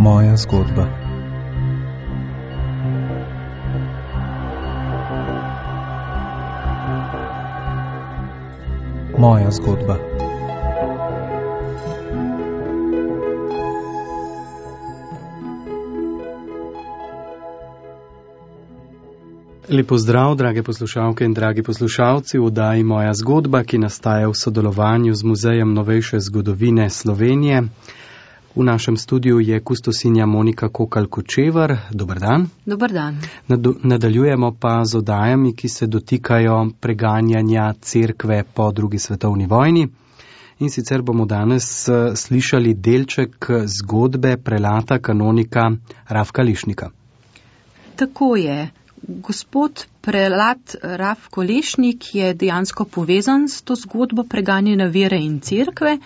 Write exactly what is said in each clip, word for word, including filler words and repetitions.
Moja zgodba. Moja zgodba. Lep pozdrav, drage poslušalke in dragi poslušalci, v oddaji Moja zgodba, ki nastaja v sodelovanju z Muzejem novejše zgodovine Slovenije. V našem studiu je kustosinja Monika Kokalj-Kočevar. Dobar dan. Dobar dan. Nadaljujemo pa z oddajami, ki se dotikajo preganjanja cerkve po drugi svetovni vojni. In sicer bomo danes slišali delček zgodbe prelata kanonika Rafka Lešnika. Tako je. Gospod prelat Rafko Lešnik je dejansko povezan s to zgodbo preganjanja vere in cerkve.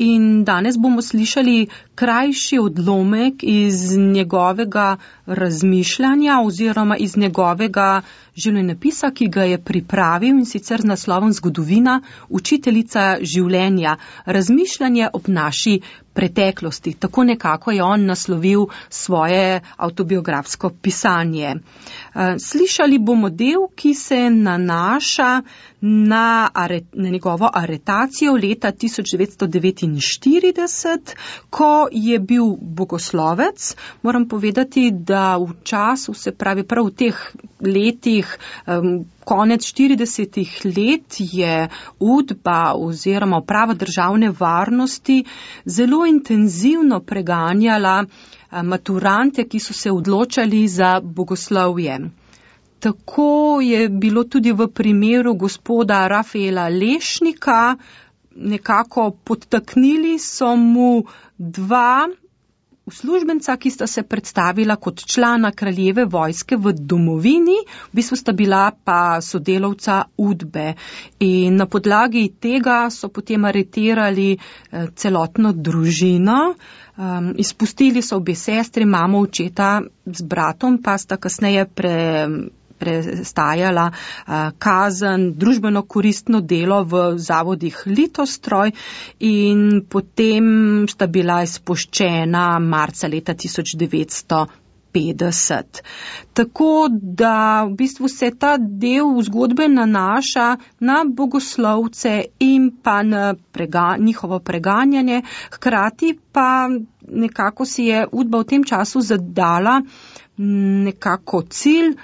In danes bomo slišali krajši odlomek iz njegovega razmišljanja oziroma iz njegovega življenjepisa, ki ga je pripravil, in sicer z naslovom Zgodovina, učiteljica življenja, razmišljanje ob naši preteklosti. Tako nekako je on naslovil svoje avtobiografsko pisanje. Slišali bomo del, ki se nanaša na, are, na njegovo aretacijo leta tisoč devetsto devetinštirideset, ko je bil bogoslovec. Moram povedati, da v času, se pravi prav v teh letih, um, konec štiridesetih let, je Udba oziroma uprava državne varnosti zelo intenzivno preganjala maturante, ki so se odločali za bogoslovje. Tako je bilo tudi v primeru gospoda Rafaela Lešnika. Nekako podtaknili so mu dva uslužbenca, ki sta se predstavila kot člana kraljeve vojske v domovini, v bistvu sta bila pa sodelavca Udbe. In na podlagi tega so potem aretirali celotno družino. Um, izpustili so obe sestri, mamo, očeta z bratom, pa sta kasneje pre, prestajala uh, kazen, družbeno koristno delo v zavodih Litostroj, in potem sta bila izpuščena marca leta tisoč devetsto petdeset. Tako da v bistvu se ta del zgodbe nanaša na bogoslovce in pa na prega, njihovo preganjanje, hkrati pa nekako si je Udba v tem času zadala nekako cilj,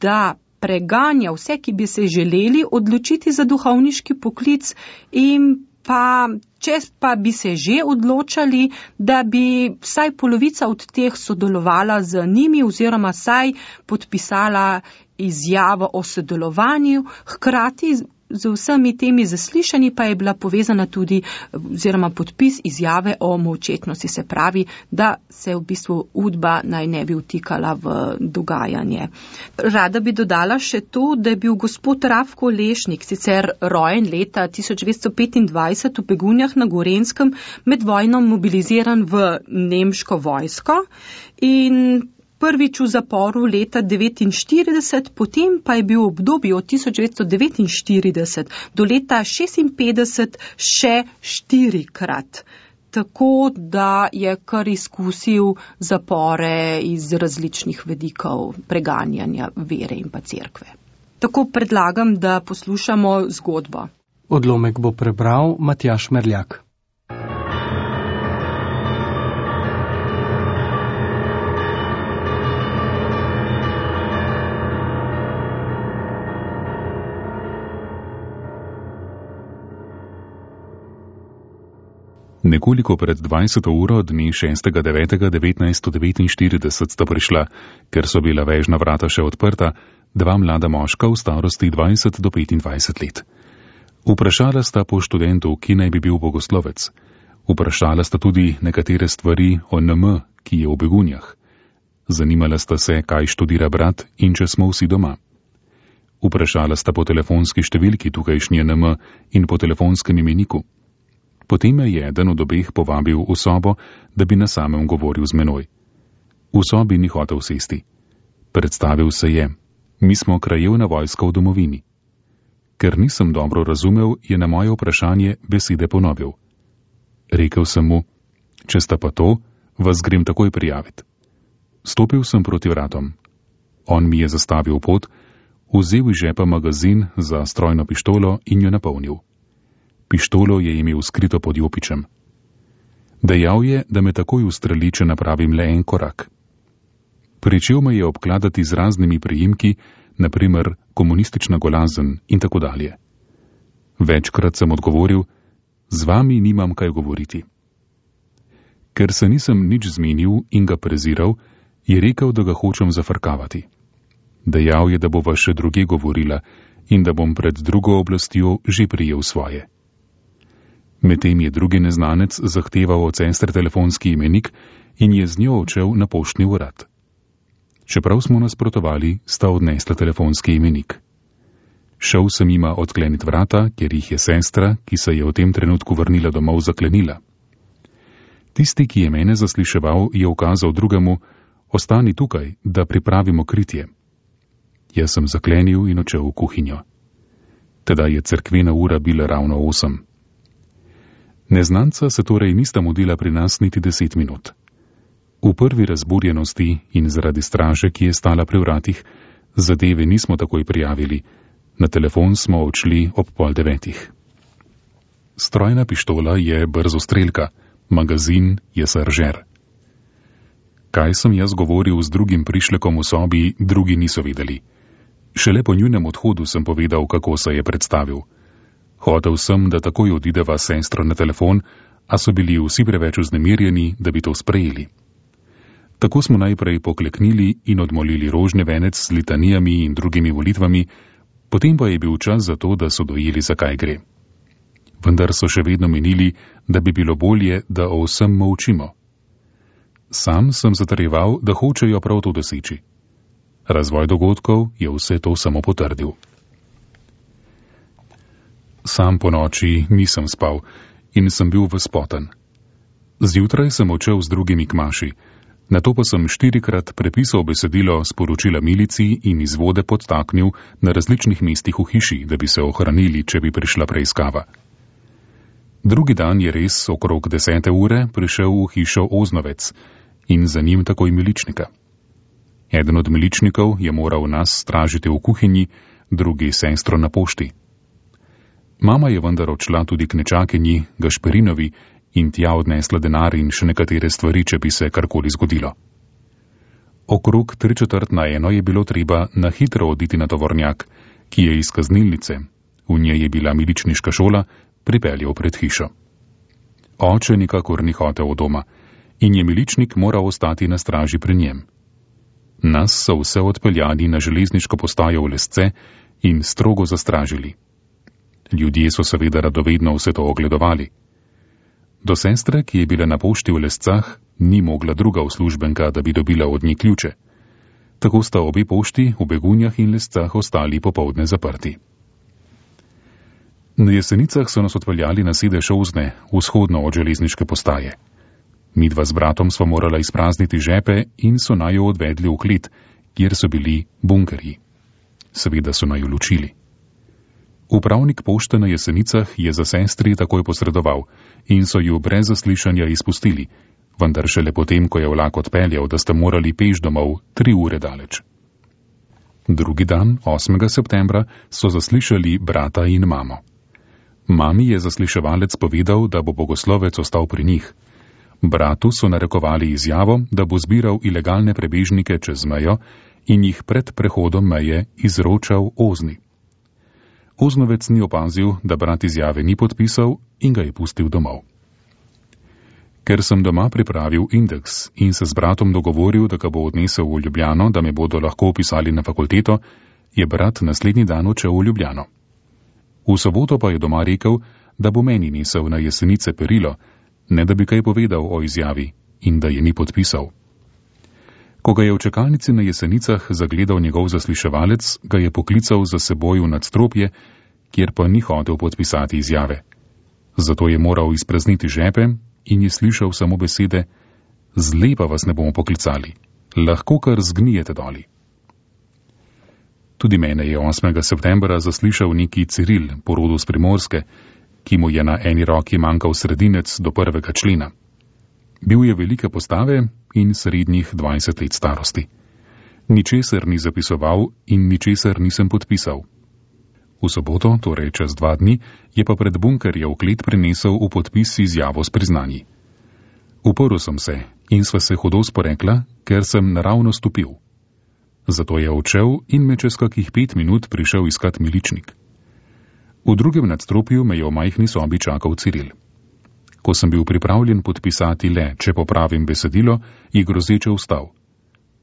da preganja vse, ki bi se želeli odločiti za duhovniški poklic, in pa če pa bi se že odločali, da bi vsaj polovica od teh sodelovala z njimi oziroma vsaj podpisala izjavo o sodelovanju, hkrati z vsemi temi zaslišanji pa je bila povezana tudi oziroma podpis izjave o molčečnosti, se pravi, da se v bistvu Udba naj ne bi vtikala v dogajanje. Rada bi dodala še to, da je bil gospod Rafko Lešnik sicer rojen leta tisoč devetsto petindvajset v Begunjah na Gorenjskem, med vojno mobiliziran v nemško vojsko in prvič v zaporu leta devetinštirideset, potem pa je bil v obdobju od tisoč devetsto devetinštirideset do leta šestinpetdeset še štirikrat. Tako da je kar izkusil zapore iz različnih vidikov preganjanja vere in pa cerkve. Tako predlagam, da poslušamo zgodbo. Odlomek bo prebral Matjaž Merljak. Nekoliko pred dvajseto uro dne šestega devetega devetnajststo devetinštirideset sta prišla, ker so bila vežna vrata še odprta, dva mlada moška v starosti dvajset do petindvajset let. Vprašala sta po študentu, ki naj bi bil bogoslovec. Vprašala sta tudi nekatere stvari o N M, ki je v Begunjah. Zanimala sta se, kaj študira brat in če smo vsi doma. Vprašala sta po telefonski številki tukajšnje N M in po telefonskem imeniku. Potem me je eden od obeh povabil v sobo, da bi na samem govoril z menoj. V sobi ni hotel sesti. Predstavil se je: mi smo krajevna vojska v domovini. Ker nisem dobro razumel, je na moje vprašanje besede ponovil. Rekel sem mu: če sta pa to, vas grem takoj prijaviti. Stopil sem proti vratom. On mi je zastavil pot, vzel iz žepa magazin za strojno pištolo in jo napolnil. Pištolo je imel skrito pod jopičem. Dejal je, da me takoj ustreli, če napravim le en korak. Pričel me je obkladati z raznimi priimki, naprimer komunistična golazen in tako dalje. Večkrat sem odgovoril, z vami nimam kaj govoriti. Ker se nisem nič zmenil in ga preziral, je rekel, da ga hočem zafrkavati. Dejal je, da bova še druge govorila in da bom pred drugo oblastjo že prijel svoje. Medtem je drugi neznanec zahteval od sestre telefonski imenik in je z njo odšel na poštni urad. Čeprav smo nasprotovali, sta odnesla telefonski imenik. Šel sem jima odkleniti vrata, ker jih je sestra, ki se je v tem trenutku vrnila domov, zaklenila. Tisti, ki je mene zasliševal, je ukazal drugemu, ostani tukaj, da pripravimo kritje. Jaz sem zaklenil in odšel v kuhinjo. Teda je cerkvena ura bila ravno osem. Neznanca se torej nista mudila pri nas niti deset minut. V prvi razburjenosti in zaradi straže, ki je stala pri vratih, zadeve nismo takoj prijavili. Na telefon smo odšli ob pol devetih. Strojna pištola je brzostrelka, magazin je saržer. Kaj sem jaz govoril z drugim prišlekom v sobi, drugi niso vedeli. Šele po njunem odhodu sem povedal, kako se je predstavil. Hotel sem, da takoj odideva s sestro na telefon, a so bili vsi preveč vznemirjeni, da bi to sprejeli. Tako smo najprej pokleknili in odmolili rožni venec s litanijami in drugimi volitvami, potem pa je bil čas za to, da so dojeli, zakaj gre. Vendar so še vedno menili, da bi bilo bolje, da o vsem molčimo. Sam sem zatrjeval, da hočejo prav to doseči. Razvoj dogodkov je vse to samo potrdil. Sam po noči nisem spal in sem bil vespoten. Zjutraj sem odšel z drugimi k maši, nato pa sem štirikrat prepisal besedilo sporočila milici in izvode podtaknil na različnih mestih v hiši, da bi se ohranili, če bi prišla preiskava. Drugi dan je res okrog desete ure prišel v hišo Oznovec in za njim takoj miličnika. Eden od miličnikov je moral nas stražiti v kuhinji, drugi sestro na pošti. Mama je vendar odšla tudi k nečakinji Gašperinovi in tja odnesla denar in še nekatere stvari, če bi se karkoli zgodilo. Okrog tri četrt na eno je bilo treba na hitro oditi na tovornjak, ki je iz kaznilnice, v njej je bila miličniška šola, pripeljal pred hišo. Oče nikakor ni hotel od doma in je miličnik moral ostati na straži pri njem. Nas so vse odpeljali na železniško postajo v Lesce in strogo zastražili. Ljudje so seveda radovedno vse to ogledovali. Do sestre, ki je bila na pošti v Lescah, ni mogla druga uslužbenka, da bi dobila od nje ključe. Tako sta obe pošti v Begunjah in Lescah ostali popoldne zaprti. Na Jesenicah so nas odpeljali na sedež Ozne, vzhodno od železniške postaje. Midva z bratom sva morala izprazniti žepe in so naju odvedli v klet, kjer so bili bunkerji. Seveda so naju ločili. Upravnik pošte na Jesenicah je za sestri takoj posredoval in so ju brez zaslišanja izpustili, vendar šele potem, ko je vlak odpeljal, da sta morali peš domov tri ure daleč. Drugi dan, osmega septembra, so zaslišali brata in mamo. Mami je zasliševalec povedal, da bo bogoslovec ostal pri njih. Bratu so narekovali izjavo, da bo zbiral ilegalne prebežnike čez mejo in jih pred prehodom meje izročal Ozni. Oznovec ni opazil, da brat izjave ni podpisal in ga je pustil domov. Ker sem doma pripravil indeks in se z bratom dogovoril, da ga bo odnesel v Ljubljano, da me bodo lahko upisali na fakulteto, je brat naslednji dan odšel v Ljubljano. V soboto pa je doma rekel, da bo meni nesel na Jesenice perilo, ne da bi kaj povedal o izjavi in da je ni podpisal. Ko ga je v čakalnici na Jesenicah zagledal njegov zasliševalec, ga je poklical za seboj v nadstropje, kjer pa ni hotel podpisati izjave. Zato je moral izprazniti žepe in je slišal samo besede: "Zle pa vas ne bomo poklicali, lahko kar zgnijete doli." Tudi mene je osmega septembra zaslišal neki Ciril, po rodu s Primorske, ki mu je na eni roki manjkal sredinec do prvega člena. Bil je velike postave in srednjih dvajset let starosti. Ničesar ni zapisoval in ničesar nisem podpisal. V soboto, torej čez dva dni, je pa pred bunkerjev klet prinesel v podpis izjavo s priznanji. Uprl sem se in sva se hudo sporekla, ker sem naravno stopil. Zato je odšel in me čez kakih pet minut prišel iskat miličnik. V drugem nadstropju me je v majhni sobi čakal Ciril. Ko sem bil pripravljen podpisati le, če popravim besedilo, je grozeče vstal.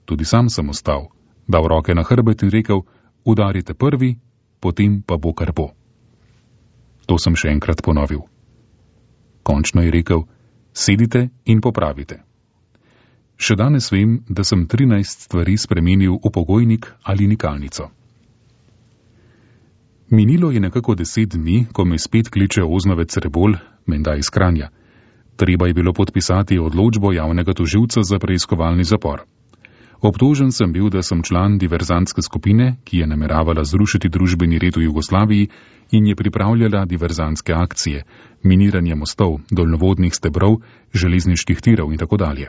Tudi sam sem vstal, dal roke na hrbet in rekel, udarite prvi, potem pa bo kar bo. To sem še enkrat ponovil. Končno je rekel, sedite in popravite. Še danes vem, da sem trinajst stvari spremenil v pogojnik ali nikalnico. Minilo je nekako deset dni, ko me spet kliče oznovec Rebol, menda iz Kranja. Treba je bilo podpisati odločbo javnega tožilca za preiskovalni zapor. Obtožen sem bil, da sem član diverzantske skupine, ki je nameravala zrušiti družbeni red v Jugoslaviji in je pripravljala diverzantske akcije, miniranje mostov, daljnovodnih stebrov, železniških tirov in tako dalje.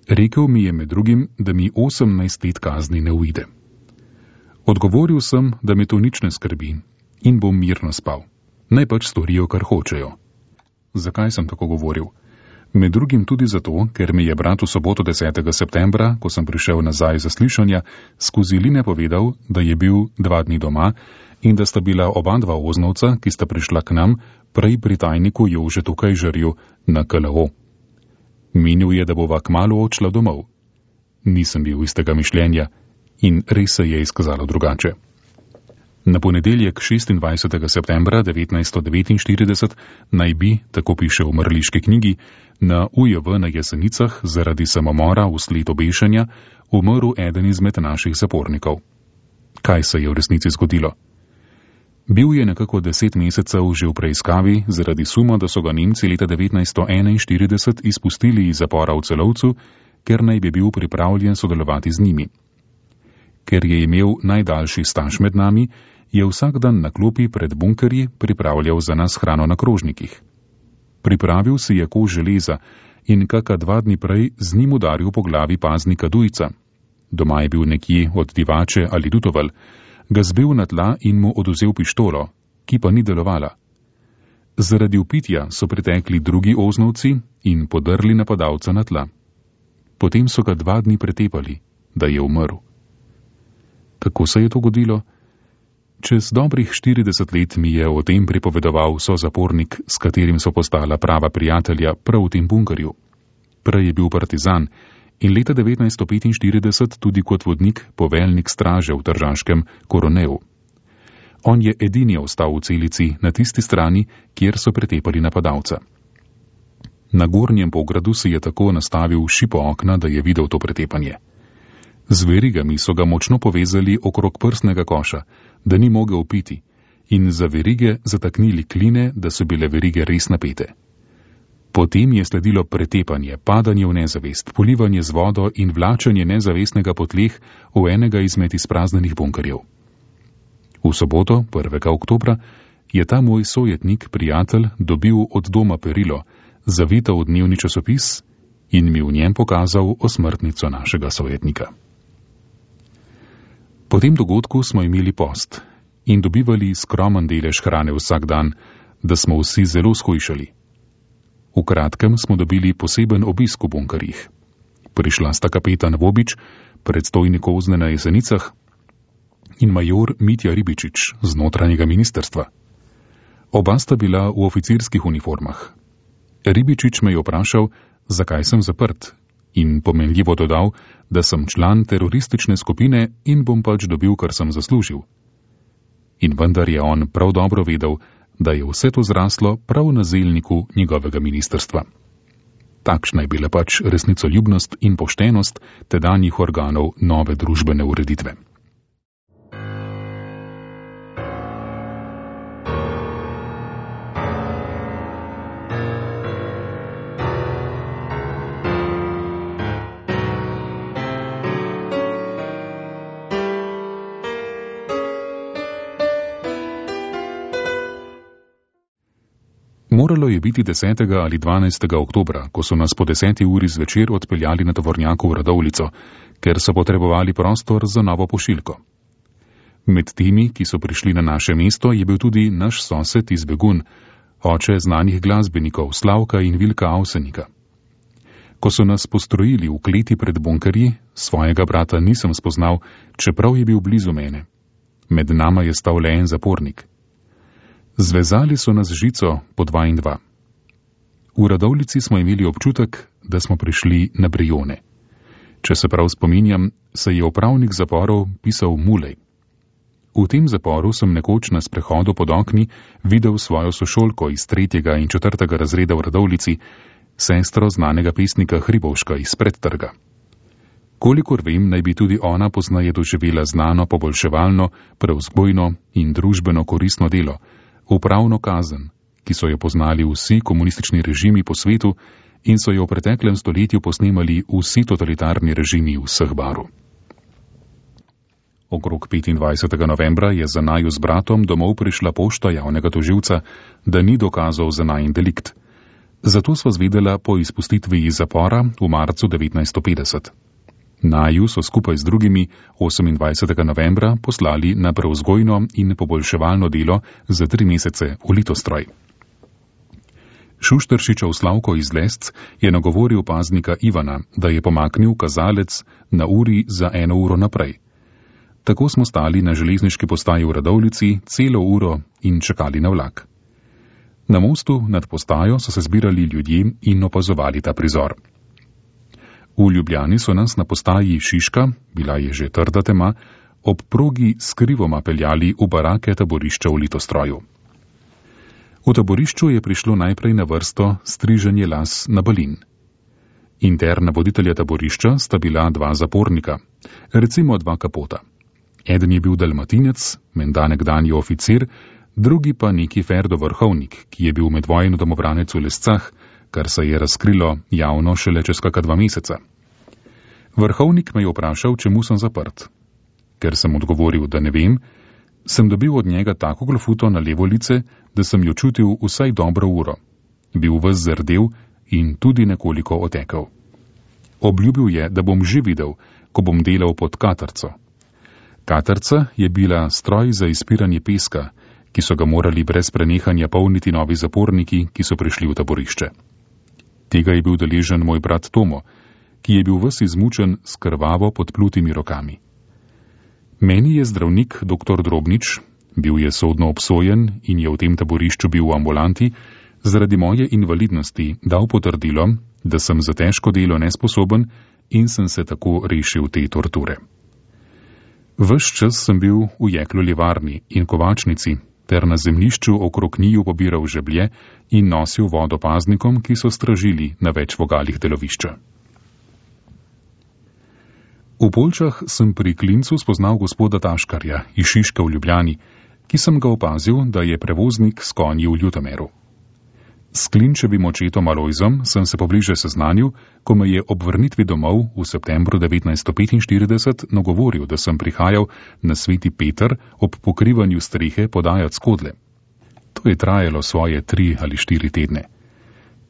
Rekel mi je med drugim, da mi osemnajst let kazni ne uide. Odgovoril sem, da me to nič ne skrbi in bom mirno spal. Naj pač storijo, kar hočejo. Zakaj sem tako govoril? Med drugim tudi zato, ker mi je brat v soboto desetega septembra, ko sem prišel nazaj za slišanja, skozi line povedal, da je bil dva dni doma in da sta bila oba dva oznovca, ki sta prišla k nam, prej pri tajniku Jožetu Kajžarju na K L O. Menil je, da bova kmalu odšla domov. Nisem bil istega mišljenja in res se je izkazalo drugače. Na ponedeljek šestindvajsetega septembra devetnajststo devetinštirideset naj bi, tako piše v mrliški knjigi, na U J V na Jesenicah zaradi samomora vsled obešanja umrl eden izmed naših zapornikov. Kaj se je v resnici zgodilo? Bil je nekako deset mesecev že v preiskavi zaradi suma, da so ga Nemci leta devetnajststo enainštirideset izpustili iz zapora v Celovcu, ker naj bi bil pripravljen sodelovati z njimi. Ker je imel najdaljši staž med nami, je vsak dan na klopi pred bunkerji pripravljal za nas hrano na krožnikih. Pripravil si je kož železa in kaka dva dni prej z njim udaril po glavi paznika Dujca. Doma je bil nekje od Divače ali Dutoval, ga zbil na tla in mu oduzel pištolo, ki pa ni delovala. Zaradi upitja so pritekli drugi oznovci in podrli napadalca na tla. Potem so ga dva dni pretepali, da je umrl. Kako se je to godilo? Čez dobrih štirideset let mi je o tem pripovedoval sozapornik, s katerim so postala prava prijatelja prav v tem bunkerju. Prej je bil partizan in leta devetnajststo petinštirideset tudi kot vodnik poveljnik straže v Tržaškem Koroneju. On je edini ostal v celici na tisti strani, kjer so pretepali napadalca. Na gornjem pogradu si je tako nastavil šipo okna, da je videl to pretepanje. Z verigami so ga močno povezali okrog prsnega koša, da ni mogel piti, in za verige zataknili kline, da so bile verige res napete. Potem je sledilo pretepanje, padanje v nezavest, polivanje z vodo in vlačanje nezavestnega po tleh v enega izmed izpraznjenih bunkerjev. V soboto, prvega oktobra, je ta moj sojetnik, prijatelj, dobil od doma perilo, zavito v dnevni časopis in mi v njem pokazal osmrtnico našega sojetnika. Po tem dogodku smo imeli post in dobivali skromen delež hrane vsak dan, da smo vsi zelo shujšali. V kratkem smo dobili poseben obisk v bunkerjih. Prišla sta kapetan Vobič, predstojnik Ozne na Jesenicah, in major Mitja Ribičič z notranjega ministerstva. Oba sta bila v oficirskih uniformah. Ribičič me je vprašal, zakaj sem zaprt, in pomenljivo dodal, da sem član teroristične skupine in bom pač dobil, kar sem zaslužil. In vendar je on prav dobro vedel, da je vse to zraslo prav na zelniku njegovega ministrstva. Takšna je bila pač resnicoljubnost in poštenost tedanjih organov nove družbene ureditve. Moralo je biti desetega ali dvanajstega oktobra, ko so nas po deseti uri zvečer odpeljali na tovornjaku v Radovljico, ker so potrebovali prostor za novo pošiljko. Med temi, ki so prišli na naše mesto, je bil tudi naš sosed iz Begun, oče znanih glasbenikov Slavka in Vilka Avsenika. Ko so nas postrojili v kleti pred bunkerji, svojega brata nisem spoznal, čeprav je bil blizu mene. Med nama je stal le en zapornik. Zvezali so nas žico po dva in dva. V Radovljici smo imeli občutek, da smo prišli na Brijone. Če se prav spominjam, se je upravnik zaporov pisal Mulej. V tem zaporu sem nekoč na sprehodu pod okni videl svojo sošolko iz tretjega in četrtega razreda v Radovljici, sestro znanega pesnika Hribovška iz Predtrga. Kolikor vem, naj bi tudi ona poznaje doživela znano poboljševalno, prevzgojno in družbeno koristno delo, upravno kazen, ki so jo poznali vsi komunistični režimi po svetu in so jo v preteklem stoletju posnemali vsi totalitarni režimi vseh barv. Okrog petindvajsetega novembra je za naju z bratom domov prišla pošta javnega tožilca, da ni dokazal za najin delikt. Zato sva zvedela po izpustitvi iz zapora v marcu devetnajststo petdeset. Naju so skupaj z drugimi osemindvajsetega novembra poslali na prevzgojno in poboljševalno delo za tri mesece v Litostroj. Šušteršičev Slavko iz Lesc je nagovoril paznika Ivana, da je pomaknil kazalec na uri za eno uro naprej. Tako smo stali na železniški postaji v Radovljici celo uro in čakali na vlak. Na mostu nad postajo so se zbirali ljudje in opazovali ta prizor. V Ljubljani so nas na postaji Šiška, bila je že trda tema, ob progi skrivoma peljali v barake taborišča v Litostroju. V taborišču je prišlo najprej na vrsto striženje las na balin. Interna voditelja taborišča sta bila dva zapornika, recimo dva kapota. Eden je bil dalmatinec, menda nekdanji oficir, drugi pa neki Ferdo Vrhovnik, ki je bil medvojno domobranec v Lescah, kar se je razkrilo javno šele čez kaka dva meseca. Vrhovnik me je vprašal, čemu sem zaprt. Ker sem odgovoril, da ne vem, sem dobil od njega tako glofuto na levo lice, da sem jo čutil vsaj dobro uro. Bil ves zardel in tudi nekoliko otekel. Obljubil je, da bom že videl, ko bom delal pod katarco. Katarca je bila stroj za izpiranje peska, ki so ga morali brez prenehanja polniti novi zaporniki, ki so prišli v taborišče. Tega je bil deležen moj brat Tomo, ki je bil ves izmučen s krvavo podplutimi rokami. Meni je zdravnik doktor Drobnič, bil je sodno obsojen in je v tem taborišču bil v ambulanti, zaradi moje invalidnosti dal potrdilo, da sem za težko delo nesposoben in sem se tako rešil te torture. Ves čas sem bil v jeklo-livarni in kovačnici ter na zemljišču okrog njiju pobiral žeblje in nosil vodo paznikom, ki so stražili na več vogalih delovišča. V Poljčah sem pri Klincu spoznal gospoda Taškarja iz Šiške v Ljubljani, ki sem ga opazil, da je prevoznik s konji v Ljutomeru. S Klinčevim očetom Alojzom sem se pobliže seznanil, ko me je ob vrnitvi domov v septembru devetnajststo petinštirideset nagovoril, da sem prihajal na Sveti Peter ob pokrivanju strehe podajat skodle. To je trajalo svoje tri ali štiri tedne.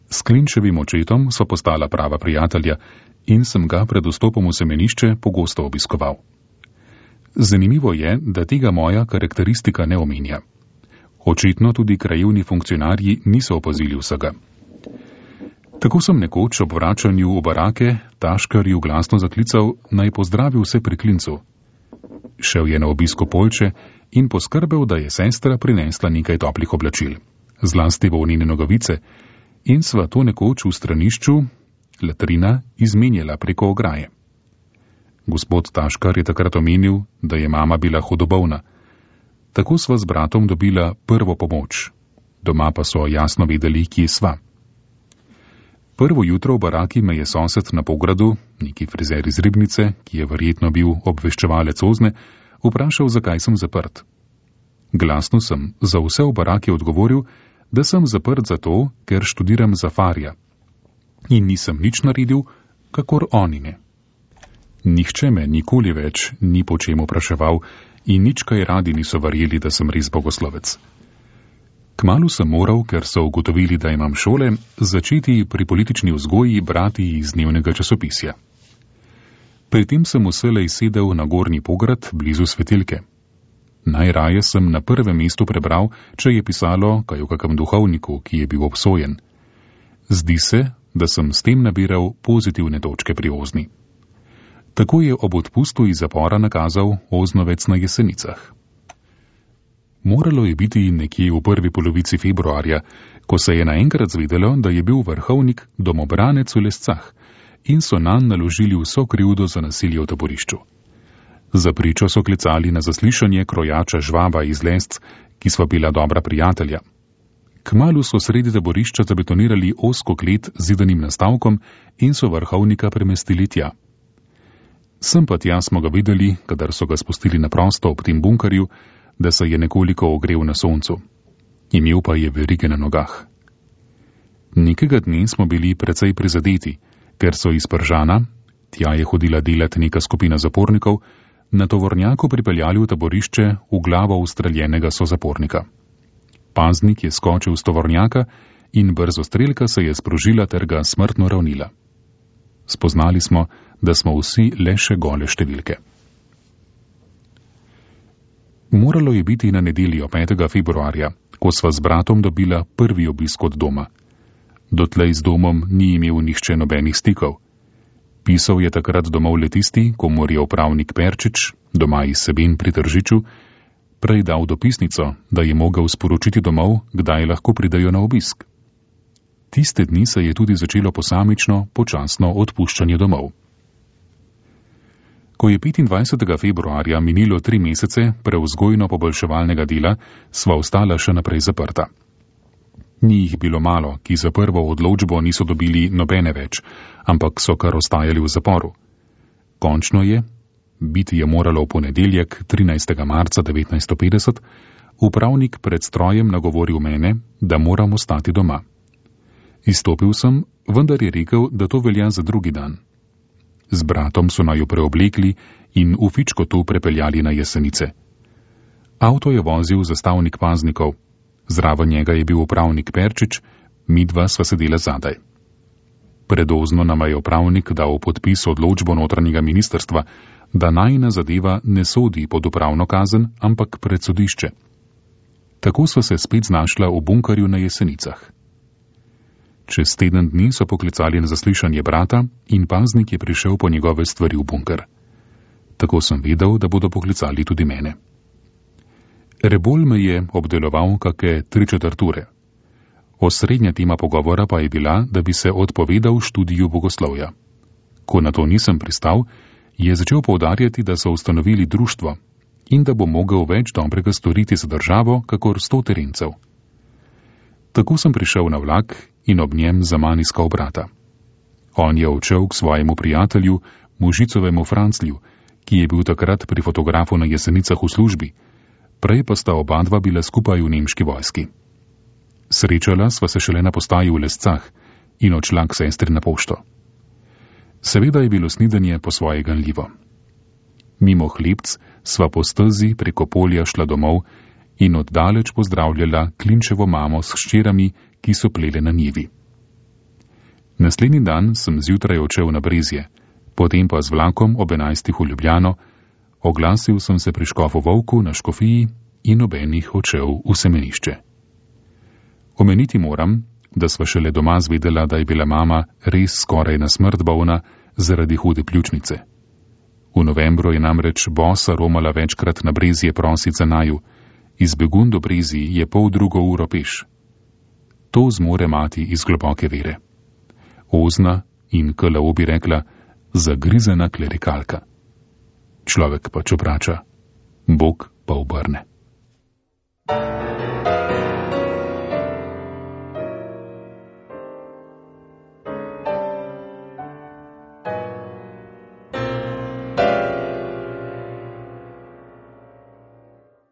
S Klinčevim očetom so postala prava prijatelja in sem ga pred vstopom v semenišče pogosto obiskoval. Zanimivo je, da tega moja karakteristika ne omenja. Očitno tudi krajevni funkcionarji niso opazili vsega. Tako sem nekoč ob vračanju v barake Taškarju glasno zaklical, naj pozdravi vse pri Klincu. Šel je na obisko Poljče in poskrbel, da je sestra prinesla nekaj toplih oblačil, zlasti volnene nogavice, in sva to nekoč v stranišču, latrina, izmenjala preko ograje. Gospod Taškar je takrat omenil, da je mama bila hudobovna. Tako sva z bratom dobila prvo pomoč. Doma pa so jasno vedeli, kje sva. Prvo jutro v baraki me je sosed na Pogradu, neki frizer iz Ribnice, ki je verjetno bil obveščevalec Ozne, vprašal, zakaj sem zaprt. Glasno sem za vse v baraki odgovoril, da sem zaprt zato, ker študiram za farja. In nisem nič naredil, kakor oni ne. Nihče me nikoli več ni po čem vpraševal in nič kaj radi niso verjeli, da sem res bogoslovec. Kmalu sem moral, ker so ugotovili, da imam šole, začeti pri politični vzgoji brati iz dnevnega časopisja. Pri tem sem vselej sedel na Gornji Pograd blizu svetilke. Najraje sem na prvem mestu prebral, če je pisalo kaj o kakem duhovniku, ki je bil obsojen. Zdi se, da sem s tem nabiral pozitivne točke pri Ozni. Tako je ob odpustu iz zapora nakazal Oznovec na Jesenicah. Moralo je biti nekje v prvi polovici februarja, ko se je naenkrat zvedelo, da je bil vrhovnik domobranec v Lescah in so nanj naložili vso krivdo za nasilje v taborišču. Za pričo so klicali na zaslišanje krojača Žvaba iz Lesc, ki sva bila dobra prijatelja. Kmalu so sredi taborišča zabetonirali ozko klet z zidanim nastavkom in so vrhovnika premestili tja. Sem pa tja smo ga videli, kadar so ga spustili na prosto ob tem bunkarju, da se je nekoliko ogrel na soncu. Imel pa je verige na nogah. Nekega dne smo bili precej prizadeti, ker so iz Pržana, tja je hodila delati neka skupina zapornikov, na tovornjaku pripeljali v taborišče v glavo ustreljenega sozapornika. Paznik je skočil z tovornjaka in brzostrelka se je sprožila ter ga smrtno ravnila. Spoznali smo, da smo vsi le še gole številke. Moralo je biti na nedeljo petega februarja, ko sva z bratom dobila prvi obisk od doma. Dotlej z domom ni imel nihče nobenih stikov. Pisal je takrat domov le tisti, komur je upravnik Perčič, doma iz Seben pri Tržiču, prej dal dopisnico, da je mogel sporočiti domov, kdaj lahko pridejo na obisk. Tiste dni se je tudi začelo posamično, počasno odpuščanje domov. Ko je petindvajsetega februarja minilo tri mesece prevzgojno-poboljševalnega dela, sva ostala še naprej zaprta. Ni jih bilo malo, ki za prvo odločbo niso dobili nobene več, ampak so kar ostajali v zaporu. Končno je, biti je moralo v ponedeljek, trinajstega marca devetnajststo petdeset, upravnik pred strojem nagovoril mene, da moram ostati doma. Izstopil sem, vendar je rekel, da to velja za drugi dan. Z bratom so naju preoblekli in v Fičkotu prepeljali na Jesenice. Avto je vozil zastavnik paznikov, zraven njega je bil upravnik Perčič, midva sva sedela zadaj. Predozno nama je upravnik dal podpis odločbo notranjega ministrstva, da najina zadeva ne sodi pod upravno kazen, ampak pred sodišče. Tako so se spet znašla v bunkarju na Jesenicah. Čez teden dni so poklicali na zaslišanje brata in paznik je prišel po njegove stvari v bunker. Tako sem vedel, da bodo poklicali tudi mene. Rebolj me je obdeloval kake tri četrture. Osrednja tema pogovora pa je bila, da bi se odpovedal študiju bogoslovja. Ko na to nisem pristal, je začel poudarjati, da so ustanovili društvo in da bo mogel več dobrega storiti za državo, kakor sto terencev. Tako sem prišel na vlak in ob njem zaman iskal brata. On je odšel k svojemu prijatelju, Mužicovemu Franclju, ki je bil takrat pri fotografu na Jesenicah v službi, prej pa sta oba dva bila skupaj v nemški vojski. Srečala sva se šele na postaji v Lescah in odšla k sestri na pošto. Seveda je bilo snidanje po svoje ganljivo. Mimo Hlebc sva po stezi preko polja šla domov in oddaleč pozdravljala Klinčevo mamo s hčerami, ki so plele na njivi. Naslednji dan sem zjutraj odšel na Brezje, potem pa z vlakom ob enajstih v Ljubljano, oglasil sem se pri škofu Volku na škofiji in ob enih odšel v semenišče. Omeniti moram, da sva šele doma zvedela, da je bila mama res skoraj na smrt bolna zaradi hude pljučnice. V novembru je namreč bosa romala večkrat na Brezje prosit za naju, iz Begun do Brezij je pol drugo uro peš. To zmore mati iz globoke vere. Ozna in K L O bi rekla, zagrizena klerikalka. Človek pač obrača, Bog pa obrne.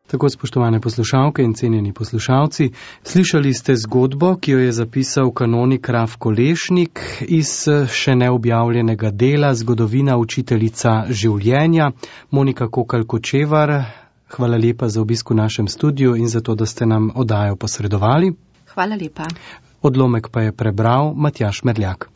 Tako, spoštovane poslušalke in cenjeni poslušalci, slišali ste zgodbo, ki jo je zapisal kanonik Rafko Lešnik iz še neobjavljenega dela Zgodovina učiteljica življenja. Monika Kokalj Kočevar Hvala lepa za obisk v našem studiu in za to, da ste nam oddajo posredovali. Hvala lepa. Odlomek pa je prebral Matjaž Merljak.